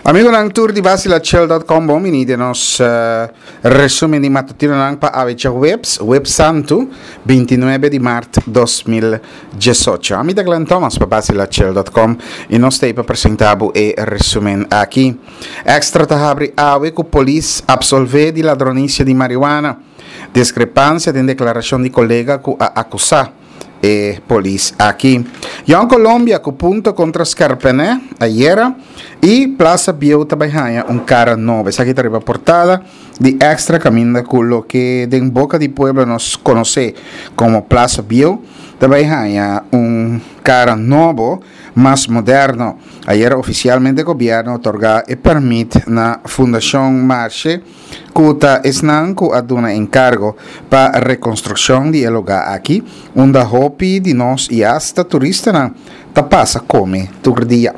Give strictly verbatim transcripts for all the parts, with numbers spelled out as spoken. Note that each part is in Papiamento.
Amigonan tur di Basilachel punto com, bon bini den nos uh, resumen di matutinonan pa awe djaweps, Webs Santu, bintinuebe di mart dos mil diesocho. Ami ta Glenn Thomas pa Basilachel punto com i nos ta pa presentá bo e resumen aki. Extra ta habri awe ku polis absolvé di ladronisia di marihuana. Diskrepansia den deklarashon di kolega ku a akusá e polis aki. Jong Colombia ku punto kontra Scarpené ayera i Plaza Bieu ta bai haña un kara nobo. Esaki ta riba portada di Extra, kaminda ku loke den boka di pueblo nos konosé komo Plaza Bieu ta bai haña un kara nobo, mas moderno. Ayera ofisialmente gobièrnu a otorgá e pèrmit na Fundashon Marshe, ku ta esnan ku a duna enkargo pa rekonstrukshon di e lugá aki, unda hopi di nos i asta turistanan ta pasa kome tur dia.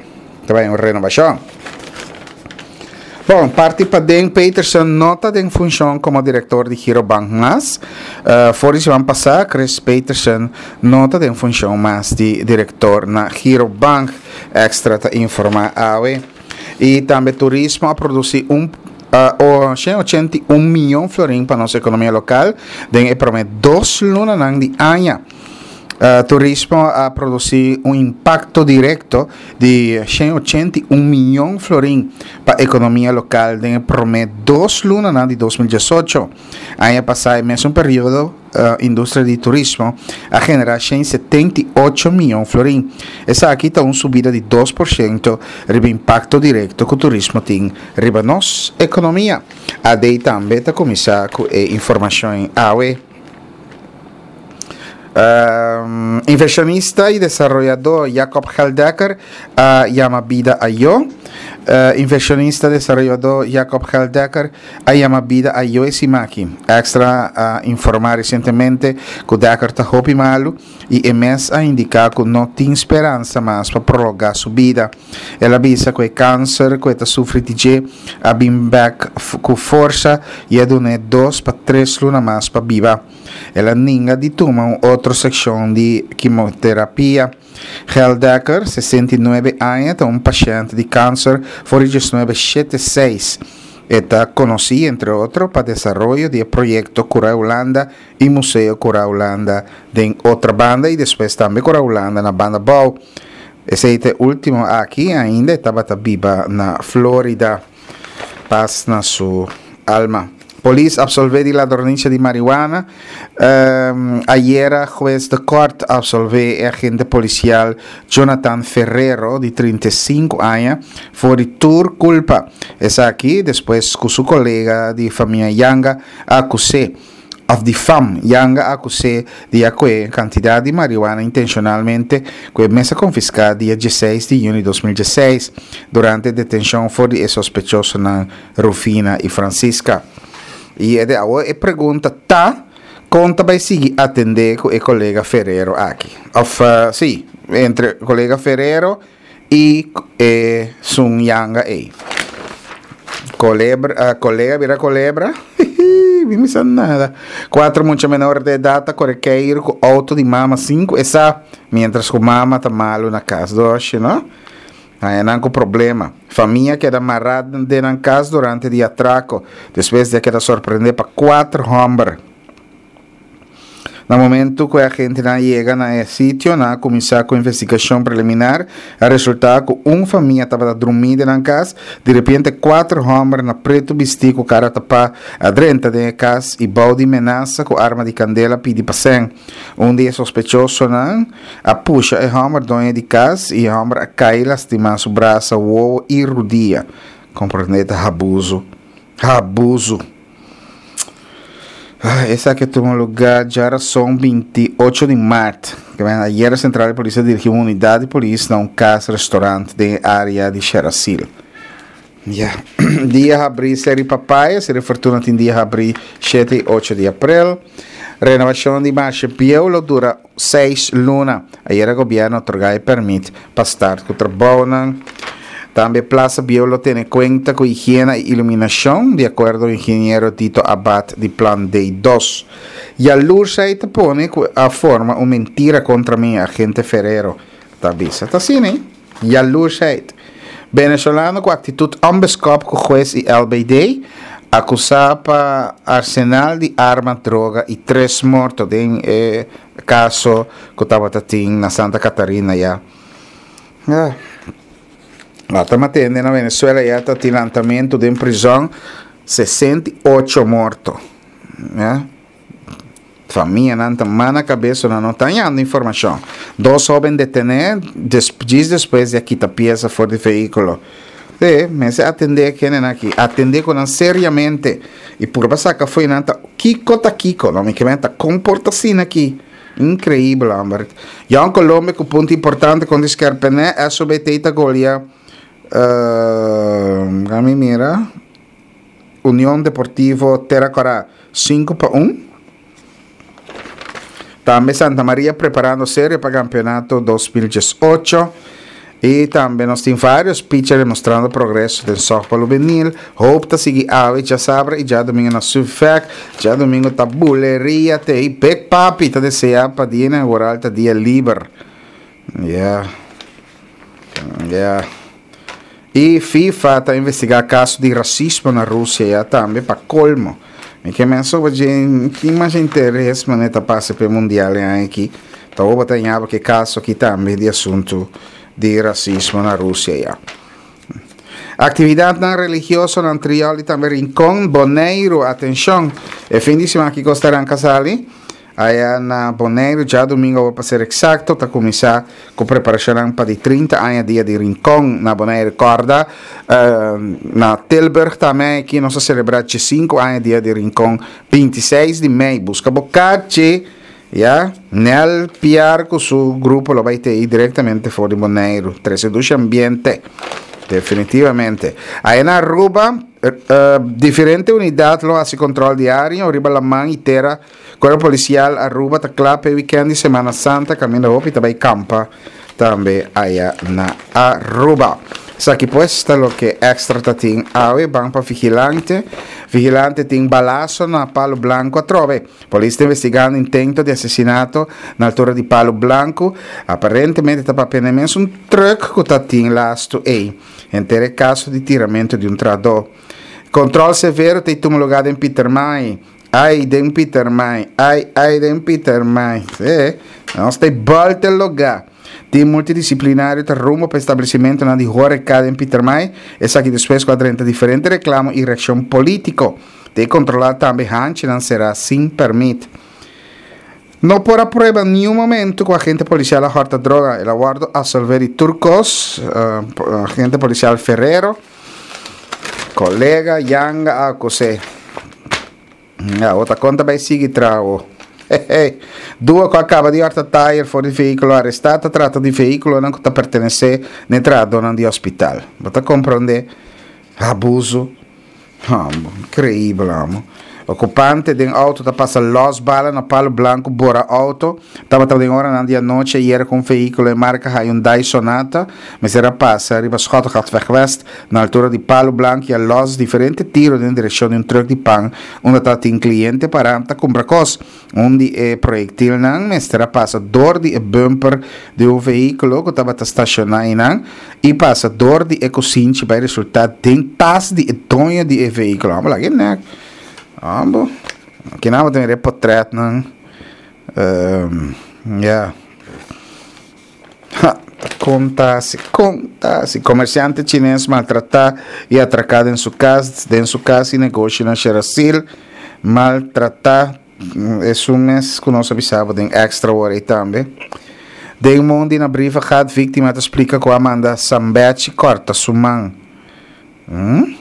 Ta bai un renovashon. Bon, parti paden, Peterson no ta den funshon komo direktor di Girobank mas. Uh, for di siman pasá, Chris Peterson no ta den funshon mas di direktor na Girobank. Extra ta informá awe. I tambe turismo a produsí un uh, shen ochenta i un mion florin pa nos ekonomia lokal den e promé dos lunanan di aña. Uh, turismo a produsí un impakto direkto di shen ochenta i un mion florin pa ekonomia lokal den e promé dos lunanan di dos mil diesocho. Aña pasá, e mesun periodo, uh, industria di turismo a generá shen setenta i ocho mion florin. Esaki ta un subida di dos por shento riba impakto direkto ku turismo tin riba nos ekonomia. A D tambe ta kuminsá ku e informashon awe. Um, inversionista y desarrollador Jacob Geldekker a yama bida ayo. Uh, inversionista desarrollador Jacob Geldekker a yama bida ayo e simaki. Extra a informa recientemente ku Dekker ta hopi malu y e mes a indica ku no tin speransa mas pa prolonga su bida. El a bisa ku e cáncer ku e ta sufri di dje a bin bek ku forsa y a dune dos pa tres luna mas pa biba. El a ninga di tuma un otro seccion di quimioterapia. Geldekker, sesenta i nuebe aña, ta un paciente di cáncer for di diesnuebe shete seis. E ta conocí, entre otro, pa desarrollo di e proyecto Cura Hulanda y Museo Cura Hulanda den otra banda y despues tambe Cura Hulanda na banda bou. Esei ta e ultimo aki, ainda e tabata biba na Florida. Paz na su alma. Polis absolvé di ladronicia di marihuana. Um, ayera juez de kort absolvé e agente policial Jonathan Ferrero, di trinta i sinku aña, for di tur culpa. Esaki despues cu su colega di famia Yanga acusé, of di fam Yanga acusé di acue cantidad di marihuana intencionalmente cu e mesa confisca dia dieseis di juni dos mil dieseis durante detencion for di e sospechosonan Rufina y Francisca. Y e de awo e pregunta ta, kon ta bai sigui atende ku e kolega Ferrero aki? Of, uh, sí, entre kolega Ferrero y e Sun Yanga ei. Kolebra, uh, kolega bira kolebra? Mi no sa nada. Cuatro mucha menor de edad ta kore keir ku auto di mama sinku esa, mientras ku mama ta malu na kas. Doshi, no? Aí nan ku problema. Famia queda amarrada den nan kas durante di atraco. Después de queda sorprender pa cuatro hombre. Na momento que a gente na llega na e sitio, na começar com investigação preliminar, a resultar que uma família estava dormindo na casa, de repente quatro homens na preto vestido com cara tapa adrenta de casa e balde ameaça com arma de candela pedi passem. Um dia sospechoso na a puxa e homem dono de casa e homem a cai lastimar su braço, o e rodia. Compreendete abuso. Abuso. Ah, esa que tuvo lugar ya son veintiocho de marzo. Que ven, ayer la central de policía dirigió una unidad de policía a un casa restaurante de área de Xeracil. Ya. Dia abril serie papaya, serie fortuna tin dia abril siete y ocho de abril. Renovación de Marche Bielo dura seis luna. Ayer el gobierno otorga el permit para estar con trabajo. También Plaza Bielo tiene cuenta con higiene e iluminación, de acuerdo al ingeniero Tito Abad de Plan D dos. Y a luz ahí te pone a forma una mentira contra mi agente Ferrero. Está vista, está así, ¿eh? Y a luz ahí. Venezolano ku aktitut onbeskòp ku hues i L B D, akusá pa arsenal di arma, droga i tres morto den eh, kaso ku tabata tin na Santa Catarina ya. Ah. Ah, ta matando na Venezuela ya ta tin lantamentu den prizòn, sesenta i ocho morto. Ya? Famianan ta man na kabes, nan no ta hañando informashon. Dos hóben detené des, despues di a kita piesa for di vehíkulo. E, mester atendé ku aki, atendé ku nan seriamente. I por saka for nan ta kiko ta kiko, no mi ke ta komportá asina aki. Inkreibel, Albert. Jong Colombia ku punto importante kontra Skerpene, S O B T ta golia. Uh, mi mira. Union Deportivo Terra Cora sinku pa un. Tambe Santa Maria preparando serio pa kampeonato dos mil diesocho. I tambe nos tin vários pitchers demostrando progreso den softball hubenil. Hope ta sigui awe, djasabra i djadumingu na Sufek. Djadumingu ta buleria te Big Papi ta deseá pa dia inaugural ta dia liber. Yeah. Yeah. I FIFA ta investigá kaso di rasismo na Rusia ya tambe pa kolmo. Mi ke men so tin mas interes manera ta pasa pa mundial aki. Ta bo ta ku kaso aki tambe di asuntu di rasismo na Rusia ya. Aktividatnan religioso na Antriol i tambe Rincon, Boneiru, atenshon. E fin di siman aki Costa Casali. Aya na Boneiru, djadumingu, pa ser eksakto, ta kuminsá ku preparashon pa di trinta aña dia di Rincon na Boneiru. Korda, uh, na Tilburg tambe, aki nos a selebrá sinku aña dia di Rincon, bintiseis di mei. Buska bo karchi, ya, Nel Piar ku su grupo lo bai te direktamente for di Boneiru. Trese ambiente. Definitivamente. Ei na Aruba, uh, diferente unidat lo hasi kontròl diario, riba laman i tera. Kuerpo Polisial Aruba ta kla pa weekend di Semana Santa, kaminda hopi tambe kampa tambe aya na Aruba. Esaki pues ta loke Extra ta tin awe. Ban pa Vigilante. Vigilante tin balaso na Palo Blanco atrobe. Polis ta investigando intento di asesinato na altura di Palo Blanco. Aparentemente ta papia mes un truck ku ta tin lastu ei. Henter kaso di tiramentu di un trahadó. Kontròl severo ta tuma lugá na Pietermaai. Ai, den Pietermaai. Ai, ai, den Pietermaai. E, nos tin bolta lugá. Tim multidisiplinario ta rumbo pa establesimentonan di horeca na Pietermaai. Esaki despues ku a diferente reklamo i reakshon polítiko. Ta kontrolá tambe hanchinan será sin pèrmit. No por a prueba ningun momento ku agente polisial a hòrta droga. El a wòrdu apsolvé di tur kos, uh, agente polisial Ferrero, kolega Yanga a akus'é. Ja, otro konta bai sigui trago. Duo ku a kaba di hòrta tayer for di vehíkulo arestá. Ta trata di vehíkulonan ku ta pertenesé na entrada di hospital. Bo ta komprondé abuso. Ah, inkreibel, amo. Okupante di outo ta pasa los bala na Palo Blanco, bora outo. Tabata den ora di anochi ayera ku un vehíkulo marka Hyundai Sonata. Mester a pasa riba Schottegatweg West, na altura di Palo Blanco, i a los diferente tiro den direkshon di un truck di pan, unda tabatin kliente pará ta kumpra kos. Un di e proyektilnan mester a pasa dor di e bumper di un vehíkulo ku tabata stashoná einan i pasa dor di e kusinchi bai resultá den tas di e doño di e vehíkulo. Vamos lá, né? Amo. Aki nan tin portrètnan. Um, yeah. Ha, konta si konta si komersiante chines maltratá i atraká den su kas, den su kas i negoshi na Xerasil, maltratá. E un mes ku nos a bisa den Extra ora tambe. Den mondi na Brievengat, víktima ta splika ku a manda Sambechi kòrta su man. Hum?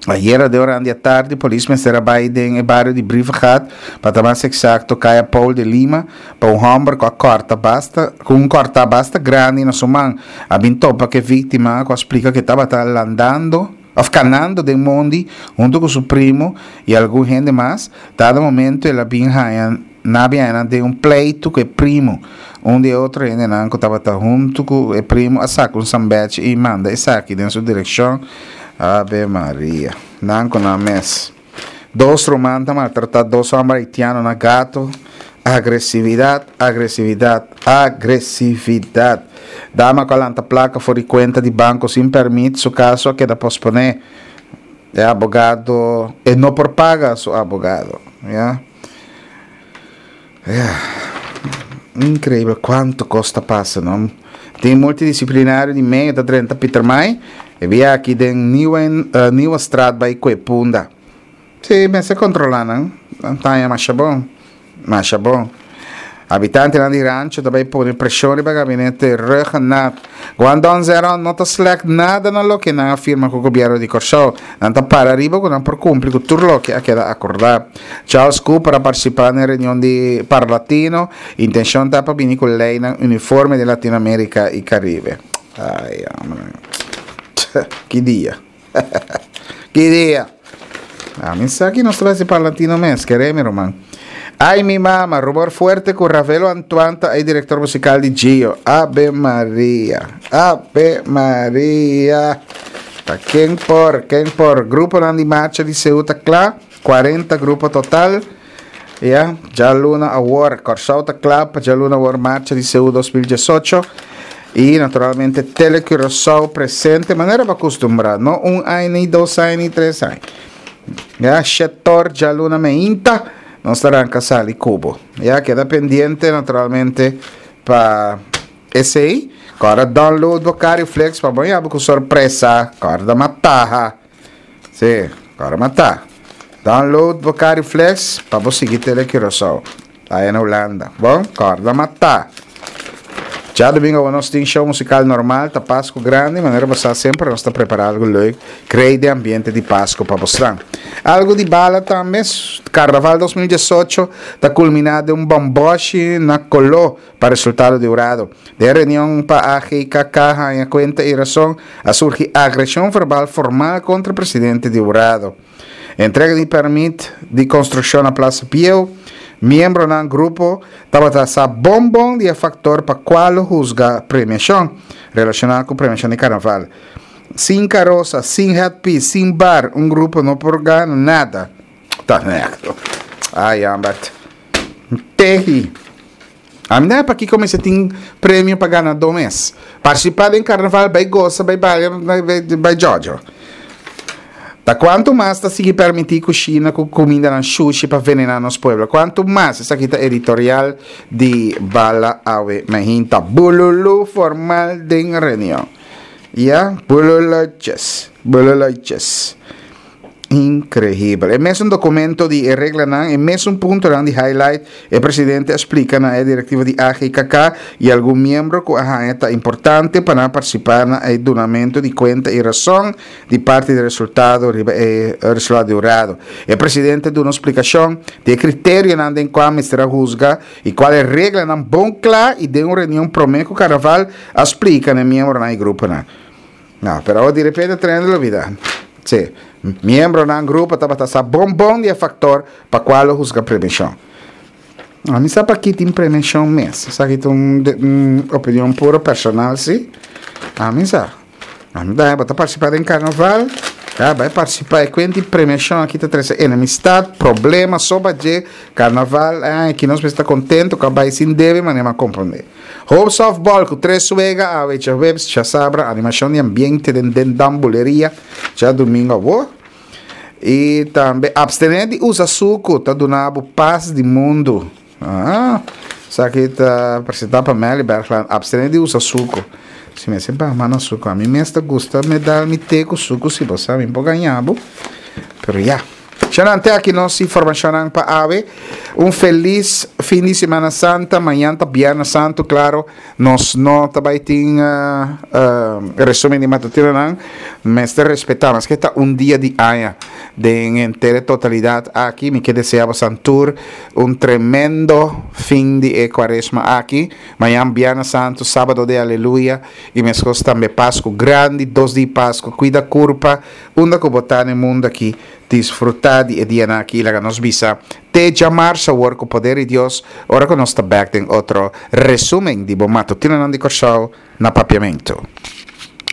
Ayera den ora di atardi, polis mester a bai den bario di Brievengat, pa ta mas eksakto, Kaya Paul de Lima, pa un hòmber ku a kòrta basta, ku un kòrta basta grandi na su man. A bin topa ku e víktima, ku a splika ku e tabata landando, òf kanando den mondi, huntu ku su primo i algun hende mas. Dado momento el a bin haña na bin den un pleitu ku e primo. Un di otro hendenan ku tabata huntu ku e primo a saka un sambechi i manda esaki den su direkshon. Ave Maria. Nan ku nan mes. Dos ruman ta maltratá dos hòmber haitiano na Gato. Agresividat, agresividat, agresividat. Dama ku a lanta plaka for di kuenta di banko sin pèrmit, su kaso a keda posponé. E abogado, e no por paga su abogado. Ya. Ya. Inkreibel kuantu kos ta pasa, no? Tim multidisiplinario di mei ta drenta Pietermaai e bia aki den Nieuwe, uh, Nieuwestraat bai kue Punda. Sí, mester kontrolá nan. Nan ta haña masha bon. Masha bon. Habitantenan di Rancho ta bai pone preshon riba gabinete Rhuggenaath. Guandong Zeron no ta slèk nada na loke nan a firma ku gobièrnu di Kòrsou. Nan ta para riba ku nan por kumpli ku tur loke a keda akordá. Charles Cooper a partisipá na e reunion di Parlatino. Intenshon ta pa bini ku leinan uniforme den Latinoamérika i Karibe. Ai, hombre. Ki dia. Ki dia. Ami sa ki nos ta bai si Parlatino mes, kere mi ruman. Ai mi mama, rumor fuerte ku Ravelo Antoine ta e direktor musikal di Gio. Ave Maria. Ave Maria. Ta ken por, ken por. Gruponan di marcha di Seú ta kla, kuarenta grupo total. Ya, djaluna awor, Kòrsou ta kla pa djaluna awor marcha di Seú dos mil diesocho. I naturalmente Tele Curaçao presente manera bo a kustumbrá, no un aña ni dos aña ni tres aña. Ya, shetor djaluna meinta nos ta ranka sali ku bo. Ya, keda pendiente naturalmente pa esei. Kòrda download bo Cariflex pa bo yaba ku sorpresa. Kòrda mataha. Sí, kòrda mata. Download bo Cariflex pa bo sigui Tele Curaçao. Aya na Hulanda. Bon, kòrda mata. Djadumingu awor nos tin show musical normal, ta Pasku grandi, manera bo sa semper nos ta prepara algu leuk, krei den ambiente di Pasku pa bosnan. Algu di bala tambe, Karnaval dos mil diesocho ta kulminá den un bòmbòshi na koló pa resultado di hurado. Den reunion pa A G K K haña kuenta i rason, a surgi agreshon verbal formal kontra presidente di hurado. Entrega di pèrmit di konstrukshon na Plaza Bieu, Miembronan grupo tabata sa bon bon di e faktor pa kua lo husga premiashon, relashoná ku premiashon di karnaval. Sin karosa, sin headpiece, sin bar, un grupo no por gana nada. Ta nèkto. Ai Ambert. Tehi. Ami no pakiko mester tin premio pa ganadó mes. Partisipá den karnaval, bai gosa, bai balia, bai djòdjò. Ta kuantu mas ta sigui permití kushina ku kumindanan shushi pa venená nos pueblo? Kuantu mas? Esaki ta editorial di Bala Awe Mehinta. Bululu formal den reunion. Ya, bululuches, bululuches. Increíbel. E mesun documento di e reglanan, e mesun puntonan di highlight, e presidente a splica na e directiva di A G K K y algun miembro cu a haña ta importante pa nan participa na e dunamento di cuenta y razon di parti di resultado riba e resultado di hurado. E presidente duna un splicacion di e criterionan den cua mester a huzga y cual e reglanan bon cla y den un reunion prome cu carnaval a splica na e miembronan y gruponan. No, pero awor di repente trende lo bida. Sí, miembronan grupo tabata sa bon bon di e factor pa cual lo huzga premiacion. A mi sa paki tin premiacion mes. Esaki ta un, un opinion puro personal, sí. A mi sa. A mi ta, bo ta participa den carnaval, ya, bai participa. E cuenta di premiacion aki ta trece enemistad, problema, soba dje, carnaval, ay, aki nos mester ta contento cu a bai sin debe, manera mi a comprende. Hope Softball ku tres wega awe djaweps, djasabra, animashon di ambiente den Den Dam Buleria djadumingu awor. I tambe abstené di usa suku ta duna bo pas di mundu. Ah, esaki ta presentá pa Melly Bergland. Abstené di usa suku. Si mester baha na suku. Ami mes ta gusta me dal mi te ku suku si bo sa mi por gaña bo. Pero ya. Shanan, te aki nos informashonnan pa awe. Un felis fin di Semana Santa. Mañan ta Biernes Santu, klaro. Nos no ta bai tin uh, uh, resumen di matutinonan. Mester respetá, maske ta un dia di aña. Den entera totalidat aki, mi ke desea bosan tur un tremendo fin di e kuaresma aki. Mañan Biernes Santu, Sábado de Aleluya, i meskos tambe Pasku Grandi, dos di Pasku. Kuida kurpa, unda ku bo ta na e mundu aki. Disfruta di e dianan aki i laga nos bisa te djamarsa awor ku poder di Dios ora ku nos ta bek den otro resumen di bo matutinonan di Kòrsou na Papiamentu.